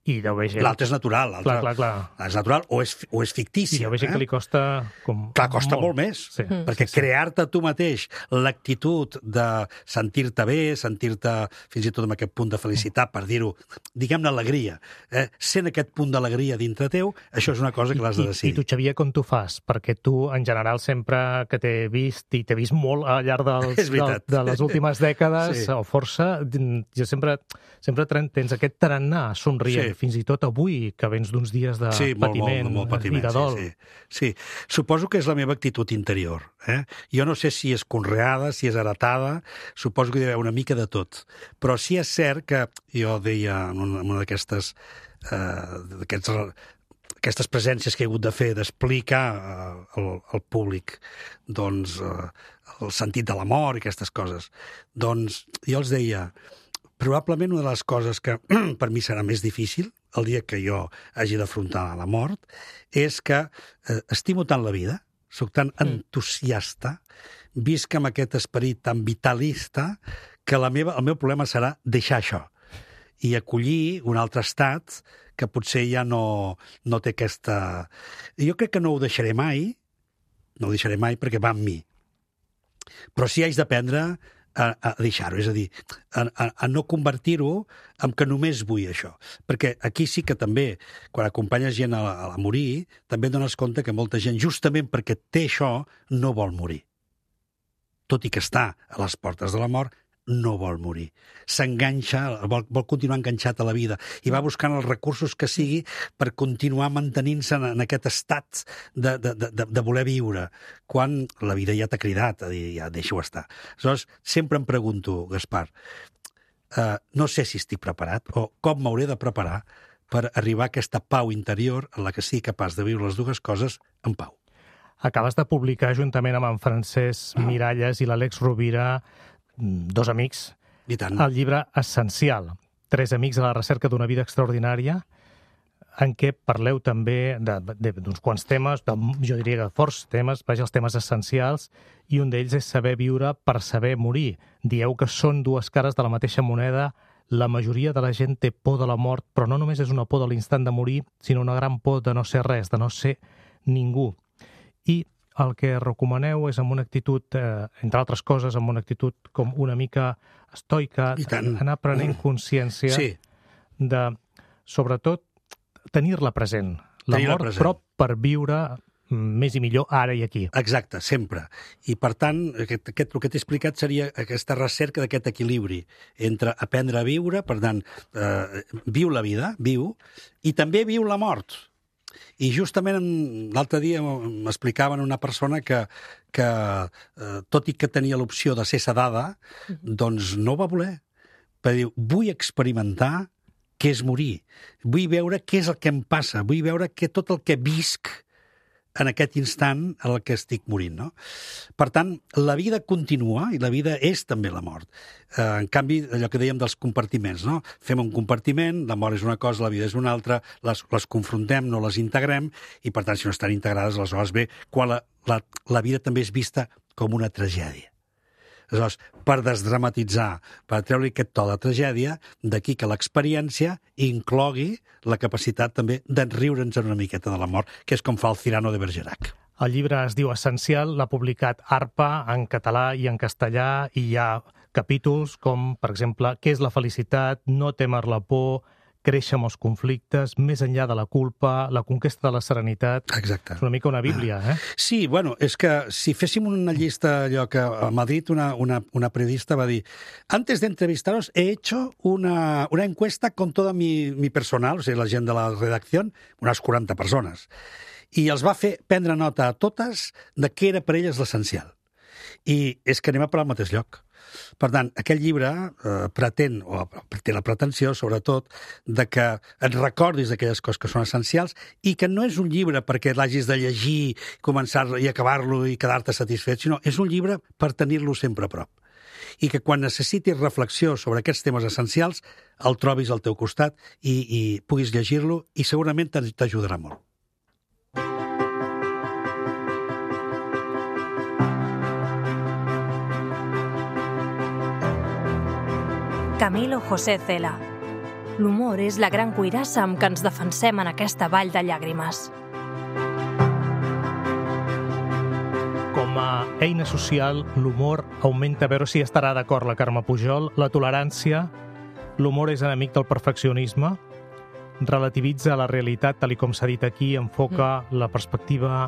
I deu haver gent... L'altre és natural. Clar, clar, clar. És natural o és, o és fictícia. I deu haver gent eh? que li costa... Com... Clar, costa molt, molt més. Sí. Mm. Perquè sí, sí. crear-te tu mateix l'actitud de sentir-te bé, sentir-te fins i tot amb aquest punt de felicitat, per dir-ho, diguem-ne alegria, eh? sent aquest punt d'alegria dintre teu, això és una cosa que l'has de decidir. I, I tu, Xavier, com tu fas? Perquè tu, en general, sempre que t'he vist, i t'he vist molt al llarg dels, de, de les últimes dècades, sí. o força, jo sempre, sempre tens aquest tarannà somrient. Sí. Fins i tot avui, que vens d'uns dies de sí, patiment, molt, molt, molt patiment, i de dol. Sí, sí. sí, suposo que és la meva actitud interior. Eh? Jo no sé si és conreada, si és heretada, suposo que hi ha d'haver una mica de tot. Però sí és cert que jo deia en una, una d'aquestes eh, aquestes presències que he hagut de fer, d'explicar eh, al, al públic doncs, eh, el sentit de la mort i aquestes coses, doncs jo els deia... Probablement una de les coses que per mi serà més difícil el dia que jo hagi d'afrontar la mort és que eh, estimo tant la vida, sóc tan entusiasta, visc amb aquest esperit tan vitalista que la meva, el meu problema serà deixar això i acollir un altre estat que potser ja no, no té aquesta... Jo crec que no ho deixaré mai, no ho deixaré mai perquè va amb mi. Però sí haig d'aprendre a, a deixar-ho, és a dir, a, a, a no convertir-ho en que només vull això. Perquè aquí sí que també, quan acompanyes gent a, a, a morir, també dones compte que molta gent, justament perquè té això, no vol morir. Tot i que està a les portes de la mort, no vol morir. S'enganxa, vol, vol continuar enganxat a la vida i va buscant els recursos que sigui per continuar mantenint-se en, en aquest estat de, de, de, de voler viure, quan la vida ja t'ha cridat a dir, ja deixa-ho estar. Aleshores, sempre em pregunto, Gaspar, eh, no sé si estic preparat o com m'hauré de preparar per arribar a aquesta pau interior en la que sigui capaç de viure les dues coses en pau. Acabes de publicar, juntament amb en Francesc Miralles i l'Àlex Rovira, dos amics, I tant. el llibre Essencial. Tres amics a la recerca d'una vida extraordinària, en què parleu també d'uns quants temes, de, jo diria que forts temes, vaja, els temes essencials, i un d'ells és saber viure per saber morir. Dieu que són dues cares de la mateixa moneda. La majoria de la gent té por de la mort, però no només és una por de l'instant de morir, sinó una gran por de no ser res, de no ser ningú. I el que recomaneu és amb una actitud, eh, entre altres coses, amb una actitud com una mica estoica, anar prenent consciència sí. de, sobretot, tenir-la present. La tenir mort, present. Però per viure més i millor ara i aquí. Exacte, sempre. I, per tant, aquest, aquest, el que t'he explicat seria aquesta recerca d'aquest equilibri entre aprendre a viure, per tant, eh, viu la vida, viu, i també viu la mort. I justament l'altre dia m'explicaven una persona que, que eh, tot i que tenia l'opció de ser sedada, doncs no ho va voler. Perquè diu, vull experimentar què és morir. Vull veure què és el que em passa. Vull veure que tot el que visc en aquest instant en el que estic morint, no? Per tant, la vida continua i la vida és també la mort. Eh, en canvi, allò que dèiem dels compartiments, no? Fem un compartiment, la mort és una cosa, la vida és una altra, les, les confrontem, no les integrem, i per tant, si no estan integrades, aleshores ve quan la, la, la vida també és vista com una tragèdia. Aleshores, per desdramatitzar, per treure aquest to de tragèdia, d'aquí que l'experiència inclogui la capacitat també d'enriure'ns una miqueta de la mort, que és com fa el Cyrano de Bergerac. El llibre es diu Essencial, l'ha publicat ARPA en català i en castellà, i hi ha capítols com, per exemple, què és la felicitat, no témer la por, créixer amb els conflictes, més enllà de la culpa, la conquesta de la serenitat. Exacte. És una mica una bíblia, eh? Sí, bueno, és que si féssim una llista, allò que a Madrid una, una, una periodista va dir, antes de entrevistaros he hecho una, una encuesta con toda mi, mi personal, o sigui, la gent de la redacció, unes quaranta persones, i els va fer prendre nota a totes de què era per elles l'essencial. I és que anem a parar al mateix lloc. Per tant, aquest llibre eh, pretén, o té la pretensió, sobretot, de que et recordis d'aquelles coses que són essencials i que no és un llibre perquè l'hagis de llegir, començar i acabar-lo i quedar-te satisfet, sinó és un llibre per tenir-lo sempre a prop. I que quan necessitis reflexió sobre aquests temes essencials, el trobis al teu costat i, i puguis llegir-lo i segurament t'ajudarà molt. Camilo José Cela. L'humor és la gran cuirassa amb què ens defensem en aquesta vall de llàgrimes. Com a eina social, l'humor augmenta, a veure si estarà d'acord la Carme Pujol, la tolerància. L'humor és enemic del perfeccionisme, relativitza la realitat, tal com s'ha dit aquí, enfoca mm. la perspectiva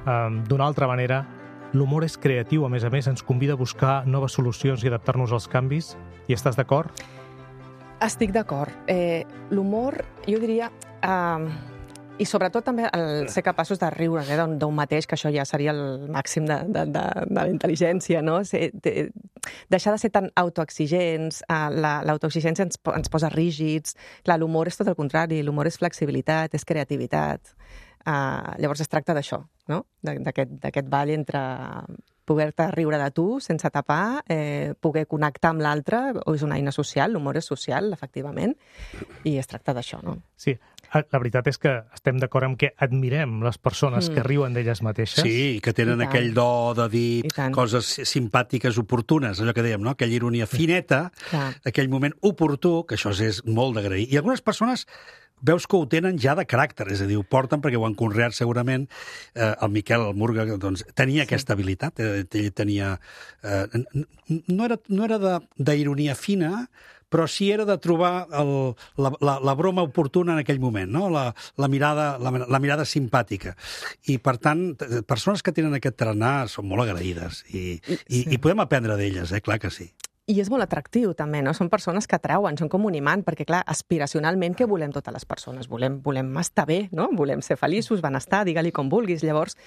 eh, d'una altra manera. L'humor és creatiu, a més a més, ens convida a buscar noves solucions i adaptar-nos als canvis. Hi estàs d'acord? Estic d'acord. Eh, l'humor, jo diria... Eh, I sobretot també el ser capaços de riure eh, d'un mateix, que això ja seria el màxim de, de, de, de la intel·ligència, no? Ser, de, deixar de ser tan autoexigents, eh, la, l'autoexigència ens, ens posa rígids. Clar, l'humor és tot el contrari, l'humor és flexibilitat, és creativitat. Uh, llavors es tracta d'això, no? D'aquest, d'aquest ball entre poder-te riure de tu sense tapar, eh, poder connectar amb l'altre, o és una eina social, l'humor és social, efectivament, i es tracta d'això, no? Sí, la veritat és que estem d'acord amb que admirem les persones mm. que riuen d'elles mateixes. Sí, que tenen aquell do de dir coses simpàtiques, oportunes, allò que dèiem, no? Aquella ironia fineta, Clar. aquell moment oportú, que això és molt d'agrair. I algunes persones veus que ho tenen ja de caràcter, és a dir, ho porten perquè ho han conreat segurament. Eh, el Miquel, el Murga, doncs, tenia sí. aquesta habilitat, ell tenia... Eh, no era, no era de, d'ironia fina, però sí era de trobar el, la, la, la broma oportuna en aquell moment, no? la, la, mirada, la, la mirada simpàtica. I, per tant, persones que tenen aquest tarannà són molt agraïdes i, i, sí. i podem aprendre d'elles, eh? Clar que sí. I és molt atractiu, també, no? Són persones que atrauen, són com un imant, perquè, clar, aspiracionalment, què volem totes les persones? Volem, volem estar bé, no? Volem ser feliços, benestar, digue-li com vulguis. Llavors,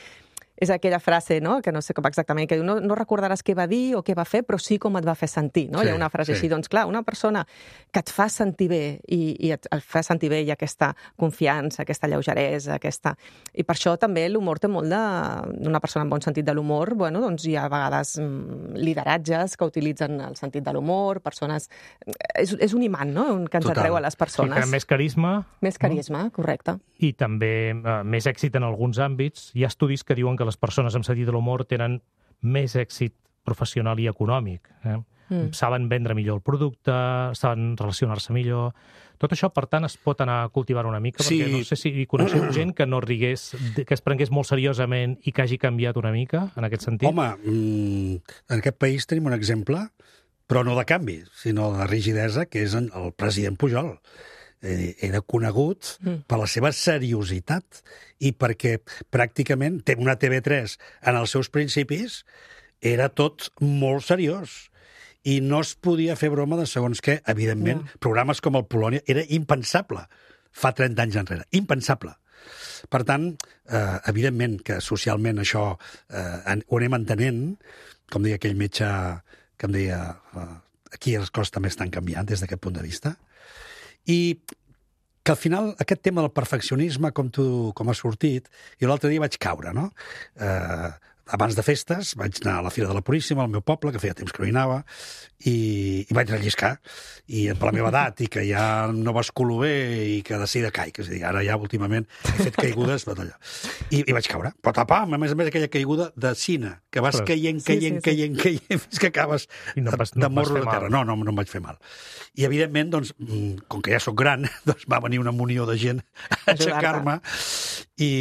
és aquella frase, no?, que no sé com exactament, que diu, no, no recordaràs què va dir o què va fer, però sí com et va fer sentir, no? Sí, Hi ha una frase sí. així. Doncs clar, una persona que et fa sentir bé i, i et, et fa sentir bé i aquesta confiança, aquesta lleugeresa, aquesta... I per això també l'humor té molt de... Una persona amb bon sentit de l'humor, bueno, doncs hi ha a vegades mm, lideratges que utilitzen el sentit de l'humor, persones... És, és un imant, no?, que ens Total. atreu a les Sí, persones. que més carisma. Més carisma, correcte. I també eh, més èxit en alguns àmbits. Hi ha estudis que diuen que les persones amb sentit de l'humor tenen més èxit professional i econòmic. Eh? Mm. Saben vendre millor el producte, saben relacionar-se millor... Tot això, per tant, es pot anar cultivant una mica, Sí. perquè no sé si coneixeu gent que no rigués, que es prengués molt seriosament i que hagi canviat una mica, en aquest sentit. Home, mm, en aquest país tenim un exemple, però no de canvi, sinó de rigidesa, que és el president Pujol. Era conegut mm. per la seva seriositat i perquè pràcticament té una T V tres en els seus principis era tot molt seriós i no es podia fer broma de segons què. Evidentment, yeah. programes com el Polònia era impensable fa trenta anys enrere. Impensable. Per tant, eh, evidentment que socialment això eh, ho anem entenent, com deia aquell metge que em deia eh, aquí les coses també estan canviant des d'aquest punt de vista. I que al final aquest tema del perfeccionisme, com tu com ha sortit, i l'altre dia vaig caure, no? Eh, abans de festes vaig anar a la Fira de la Puríssima, al meu poble, que feia temps que no hi anava, i, i vaig relliscar. I per la meva edat, i que ja no basculo bé, i que de seguida caic. És a dir, ara ja últimament he fet caigudes, allà. I, i vaig caure. Però tapam, a més a més aquella caiguda de cine, que vas Però... caient, caient, sí, sí, caient, sí. caient, fins que acabes I no vas, no de morro de terra. Mal. No, no, no em vaig fer mal. I, evidentment, doncs, com que ja sóc gran, doncs va venir una munió de gent a aixecar-me. I,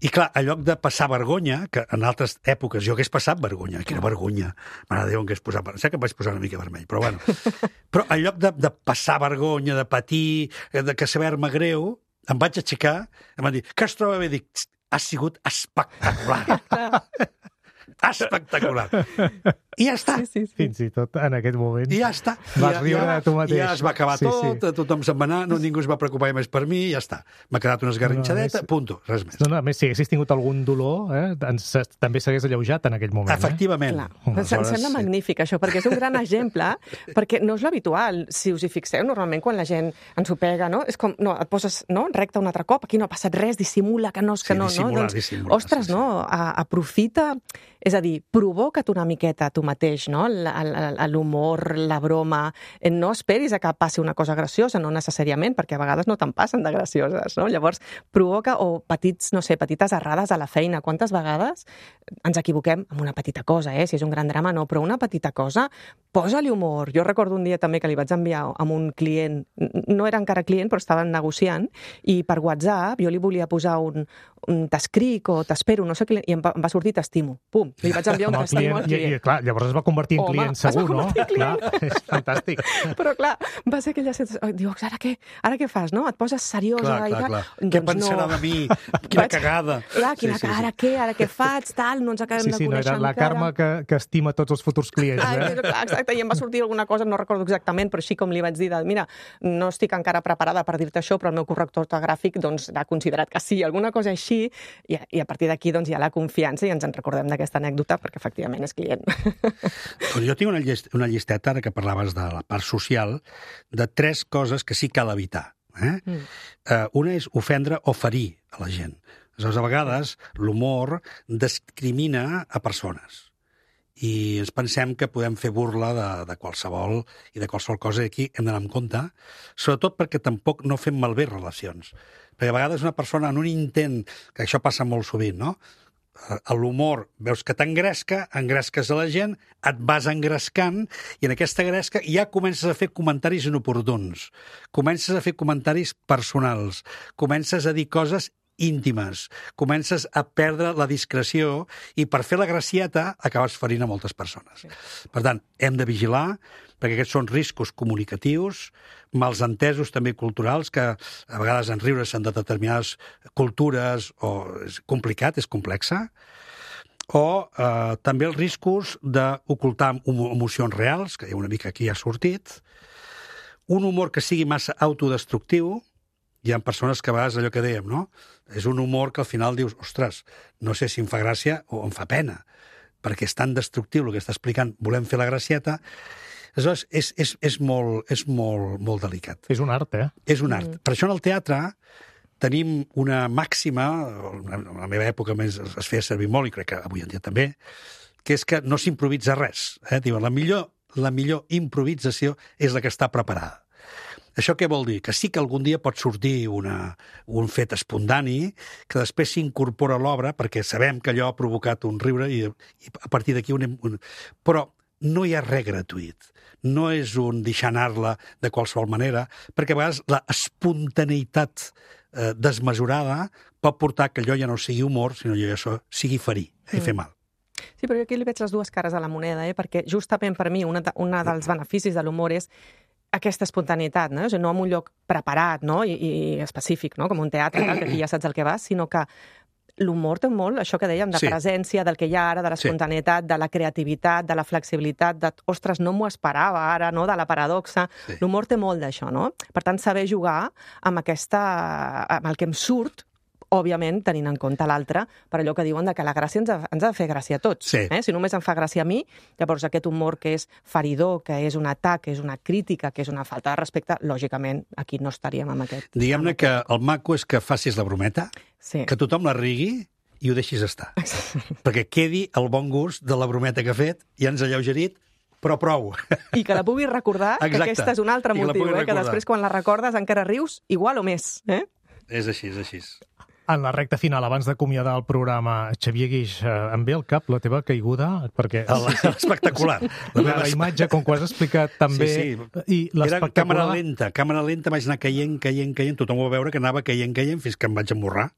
I, clar, en lloc de passar vergonya, que en altres èpoques jo hagués passat vergonya, quina vergonya, mare de Déu, que hagués posat... Sé que em vaig posar una mica vermell, però bueno. Però en lloc de, de passar vergonya, de patir, de que saber-me greu, em vaig aixecar, em van dir, què es troba bé? Dic, ha sigut espectacular. Espectacular. I ja està. Sí, sí, sí. Fins i tot en aquest moment. I ja està. Vas ja, riure ja, de tu mateix. Ja es va acabar sí, tot, sí. tothom se'n va anar, no, ningú es va preocupar més per mi, ja està. M'ha quedat una esgarrinxadeta, no, més... punto, res més. No, no, a més, si haguessis tingut algun dolor, eh, ens, també s'hagués alleujat en aquell moment. Efectivament. Clar. Aleshores... Em sembla magnífic, això, perquè és un gran exemple, perquè no és l'habitual. Si us hi fixeu, normalment quan la gent ens ho pega, no? És com, no, et poses no, recte un altre cop, aquí no ha passat res, dissimula que no... Que sí, no, dissimular, no? Doncs, dissimular. ostres, sí, sí. no? A, aprofita... És a dir, provoca't una miqueta tu mateix, no? L'humor, la broma. No esperis a que passi una cosa graciosa, no necessàriament, perquè a vegades no te'n passen de gracioses, no? Llavors, provoca, o petits, no sé, petites errades a la feina. Quantes vegades ens equivoquem amb una petita cosa, eh? Si és un gran drama, no, però una petita cosa, posa-li humor. Jo recordo un dia també que li vaig enviar a un client, no era encara client, però estaven negociant, i per WhatsApp jo li volia posar un, un t'escric o t'espero, no sé què, i em va, em va sortir t'estimo. Pum, li vaig enviar un t'estimo al client. I, i, clar, llavors es va convertir en Home, client segur, no? Client. Clar, és fantàstic. Però clar, va ser aquella situació... Diu, ara què? Ara què fas, no? Et poses seriosa. Clar, i clar, tal. clar. Doncs Què pensarà no. de mi? Quina Vaig... cagada. Clar, quina sí, sí, cara, sí. què? Ara què faig? Tal, no ens acabem sí, sí, de conèixer no, era la encara. Carme que, que estima tots els futurs clients. Ai, eh? clar, exacte, i em va sortir alguna cosa, no recordo exactament, però així com li vaig dir, de, mira, no estic encara preparada per dir-te això, però el meu corrector ortogràfic doncs, ha considerat que sí, alguna cosa així, i, i a partir d'aquí doncs, hi ha la confiança i ens en recordem d'aquesta anècdota perquè efectivament és client. Doncs jo tinc una, llist, una llisteta, ara que parlaves de la part social, de tres coses que sí cal evitar. Eh? Mm. Uh, una és ofendre o ferir a la gent. Aleshores, a vegades, l'humor discrimina a persones. I ens pensem que podem fer burla de, de qualsevol i de qualsevol cosa. Aquí hem d'anar amb compte, sobretot perquè tampoc no fem malbé relacions. Perquè a vegades una persona en un intent, que això passa molt sovint, no? A l'humor, veus que t'engresca, engresques a la gent, et vas engrescant, i en aquesta gresca ja comences a fer comentaris inoportuns, comences a fer comentaris personals, comences a dir coses íntimes, comences a perdre la discreció i per fer la gracieta acabes ferint a moltes persones. Per tant, hem de vigilar, perquè aquests són riscos comunicatius, mals entesos també culturals, que a vegades en riure-se'n de determinades cultures, o és complicat, és complexa, o eh, també els riscos d'ocultar emocions reals, que hi ha una mica aquí ha sortit, un humor que sigui massa autodestructiu, hi ha persones que a vegades allò que dèiem, no? És un humor que al final dius, ostres, no sé si em fa gràcia o em fa pena, perquè és tan destructiu el que està explicant, volem fer la gracieta. Aleshores, és, és, és, molt, és molt, molt delicat. És un art, eh? És un art. Mm. Per això en el teatre tenim una màxima, en la meva època més es feia servir molt, i crec que avui en dia també, que és que no s'improvisa res. Eh? Diuen, la millor, la millor improvisació és la que està preparada. Això què vol dir? Que sí que algun dia pot sortir una, un fet espontani que després s'incorpora a l'obra perquè sabem que allò ha provocat un riure i, i a partir d'aquí un, un... Però no hi ha res gratuït. No és un deixar anar-la de qualsevol manera, perquè a vegades la espontaneïtat eh, desmesurada pot portar que allò ja no sigui humor, sinó que això sigui ferir i mm. fer mal. Sí, però jo aquí li veig les dues cares a la moneda, eh? Perquè justament per mi una, una dels beneficis de l'humor és aquesta espontaneïtat, no? O sigui, no en un lloc preparat, no? I, i específic, no? Com un teatre, tal, que aquí ja saps el que vas, sinó que l'humor té molt, això que dèiem, de sí. presència, del que hi ha ara, de l'espontaneïtat, sí. de la creativitat, de la flexibilitat, de, ostres, no m'ho esperava ara, no? De la paradoxa. Sí. L'humor té molt d'això, no? Per tant, saber jugar amb aquesta, amb el que em surt, òbviament, tenint en compte l'altre, per allò que diuen de que la gràcia ens ha, ens ha de fer gràcia a tots. Sí. Eh? Si només em fa gràcia a mi, llavors aquest humor que és feridor, que és un atac, que és una crítica, que és una falta de respecte, lògicament, aquí no estaríem amb aquest. Diguem-ne que el maco és que facis la brometa, sí. que tothom la rigui i ho deixis estar. Perquè quedi el bon gust de la brometa que ha fet i ens ha alleugerit, però prou. I que la puguis recordar, Exacte. Que aquesta és un altre motiu, eh? Que després quan la recordes encara rius igual o més. Eh? És així, és així. En la recta final, abans d'acomiadar el programa, Xavier Guix, eh, em ve al cap la teva caiguda, perquè... Espectacular. La, la, la imatge, com que ho has explicat també... Sí, sí. I Era càmera lenta, càmera lenta, vaig anar caient, caient, caient, tothom ho va veure que anava caient, caient, fins que em vaig emmorrar.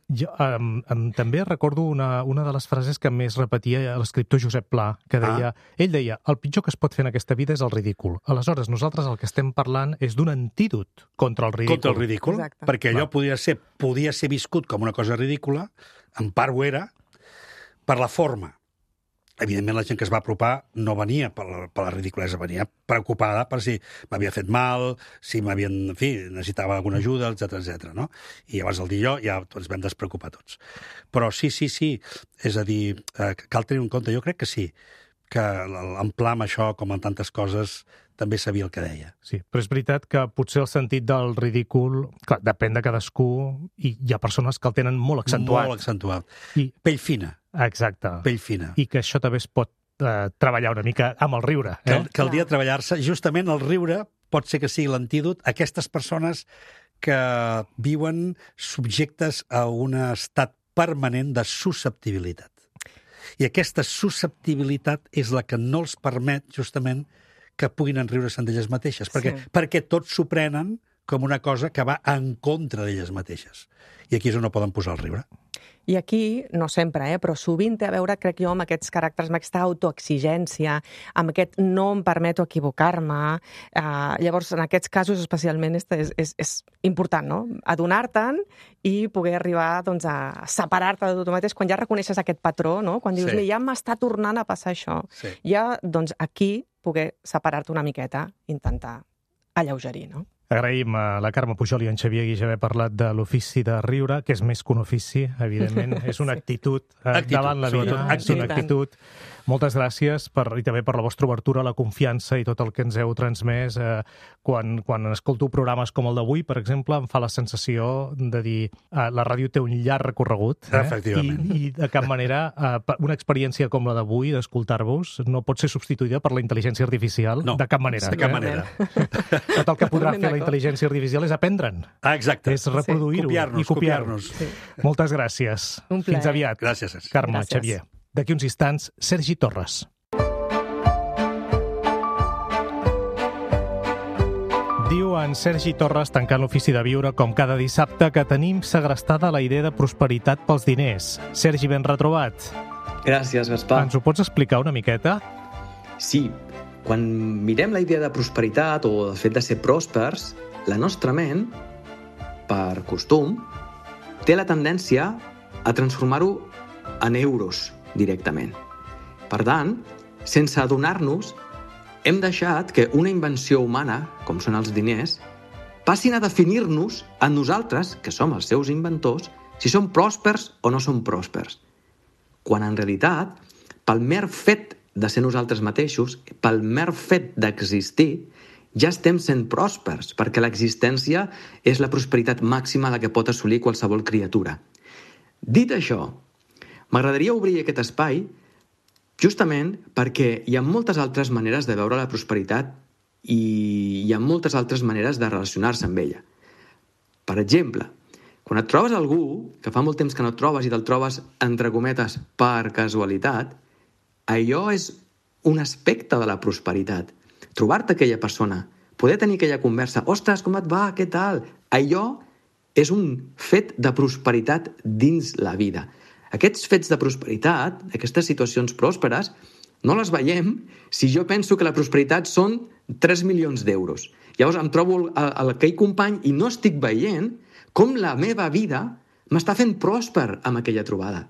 Jo um, um, també recordo una, una de les frases que més repetia l'escriptor Josep Pla, que deia... Ah. Ell deia, el pitjor que es pot fer en aquesta vida és el ridícul. Aleshores, nosaltres el que estem parlant és d'un antídot contra el ridícul. Contra el ridícul, Exacte. Perquè allò podria ser... podia ser viscut com una cosa ridícula, en part ho era, per la forma. Evidentment, la gent que es va apropar no venia per la, per la ridiculesa, venia preocupada per si m'havia fet mal, si m'havien, en fi, necessitava alguna ajuda, etcètera, etcètera, no? I llavors el dir jo ja ens vam despreocupar tots. Però sí, sí, sí, és a dir, eh, cal tenir en compte, jo crec que sí, que l'emplar amb això, com en tantes coses, també sabia el que deia. Sí, però és veritat que potser el sentit del ridícul, clar, depèn de cadascú, i hi ha persones que el tenen molt accentuat. Molt accentuat. I... Pell fina. Exacte. Pell fina. I que això també es pot eh, treballar una mica amb el riure. Eh? Cal, caldria treballar-se. Justament el riure pot ser que sigui l'antídot a aquestes persones que viuen subjectes a un estat permanent de susceptibilitat. I aquesta susceptibilitat és la que no els permet, justament, que puguin enriure-se'n d'elles mateixes, perquè, sí. perquè tots s'ho prenen com una cosa que va en contra d'elles mateixes. I aquí és on no poden posar el riure. I aquí, no sempre, eh, però sovint té a veure, crec jo, amb aquests caràcters, amb aquesta autoexigència, amb aquest no em permeto equivocar-me. Uh, llavors, en aquests casos, especialment, és, és, és important, no? Adonar-te'n i poder arribar doncs, a separar-te de tu mateix quan ja reconeixes aquest patró, no? Quan dius, sí. ja m'està tornant a passar això. Sí. Ja, doncs, aquí, poder separar-te una miqueta, intentar alleugerir, no? Agraïm a la Carme Pujol i en Xavier Guix haver parlat de l'ofici de riure, que és més que un ofici, evidentment. És una actitud, eh, actitud davant la vida. És una actitud. Moltes gràcies per, i també per la vostra obertura, la confiança i tot el que ens heu transmès. Eh, quan, quan escolto programes com el d'avui, per exemple, em fa la sensació de dir eh, la ràdio té un llarg recorregut. Eh? Efectivament. I, I de cap manera eh, una experiència com la d'avui, d'escoltar-vos, no pot ser substituïda per la intel·ligència artificial. No, de cap manera. de cap manera. Tot el que podrà fer la intel·ligència artificial és aprendre'n. Ah, exacte. És reproduir-ho sí. i copiar-nos. Sí. Moltes gràcies. Fins aviat. Gràcies. Carme, gràcies. Xavier. D'aquí uns instants, Sergi Torres. Diu en Sergi Torres, tancant l'ofici de viure, com cada dissabte, que tenim segrestada la idea de prosperitat pels diners. Sergi, ben retrobat. Gràcies, Gaspar. Ens ho pots explicar una miqueta? Sí. Quan mirem la idea de prosperitat o el fet de ser pròspers, la nostra ment, per costum, té la tendència a transformar-ho en euros directament. Per tant, sense adonar-nos, hem deixat que una invenció humana, com són els diners, passin a definir-nos a nosaltres, que som els seus inventors, si som pròspers o no som pròspers. Quan en realitat, pel mer fet de ser nosaltres mateixos, pel mer fet d'existir, ja estem sent pròspers, perquè l'existència és la prosperitat màxima a la que pot assolir qualsevol criatura. Dit això, m'agradaria obrir aquest espai justament perquè hi ha moltes altres maneres de veure la prosperitat i hi ha moltes altres maneres de relacionar-se amb ella. Per exemple, quan et trobes algú que fa molt temps que no et trobes i te'l trobes, entre cometes, per casualitat, allò és un aspecte de la prosperitat. Trobar-te aquella persona, poder tenir aquella conversa, ostres, com et va, què tal? Allò és un fet de prosperitat dins la vida. Aquests fets de prosperitat, aquestes situacions pròsperes, no les veiem si jo penso que la prosperitat són tres milions d'euros. Llavors em trobo aquell company i no estic veient com la meva vida m'està fent pròsper amb aquella trobada.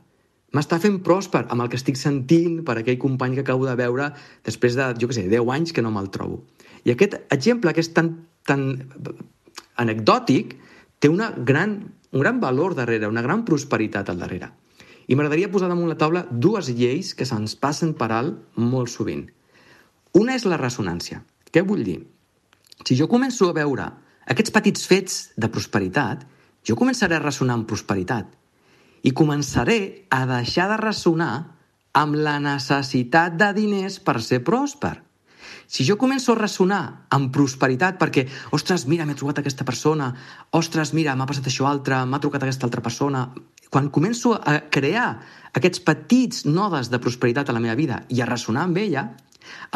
M'està fent pròsper amb el que estic sentint per aquell company que acabo de veure després de, jo què sé, deu anys que no me'l trobo. I aquest exemple, que és tan, tan anecdòtic, té una gran, un gran valor darrere, una gran prosperitat al darrere. I m'agradaria posar damunt la taula dues lleis que se'ns passen per alt molt sovint. Una és la ressonància. Què vull dir? Si jo començo a veure aquests petits fets de prosperitat, jo començaré a ressonar amb prosperitat i començaré a deixar de ressonar amb la necessitat de diners per ser pròsper. Si jo començo a ressonar amb prosperitat perquè, ostres, mira, m'he trobat aquesta persona, ostres, mira, m'ha passat això altre, m'ha trucat aquesta altra persona... Quan començo a crear aquests petits nodes de prosperitat a la meva vida i a ressonar amb ella,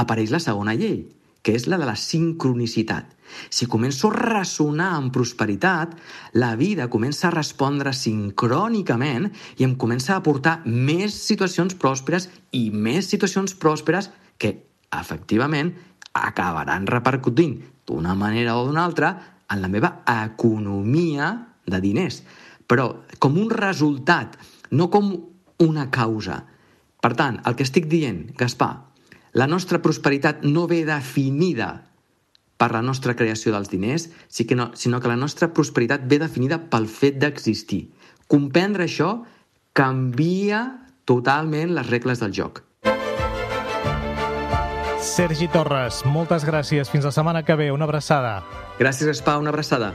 apareix la segona llei, que és la de la sincronicitat. Si començo a ressonar amb prosperitat, la vida comença a respondre sincrònicament i em comença a aportar més situacions pròsperes i més situacions pròsperes que, efectivament, acabaran repercutint d'una manera o d'una altra en la meva economia de diners. Però com un resultat, no com una causa. Per tant, el que estic dient, Gaspar, la nostra prosperitat no ve definida per la nostra creació dels diners, sinó que la nostra prosperitat ve definida pel fet d'existir. Comprendre això canvia totalment les regles del joc. Sergi Torres, moltes gràcies. Fins la setmana que ve. Una abraçada. Gràcies, Gaspar. Una abraçada.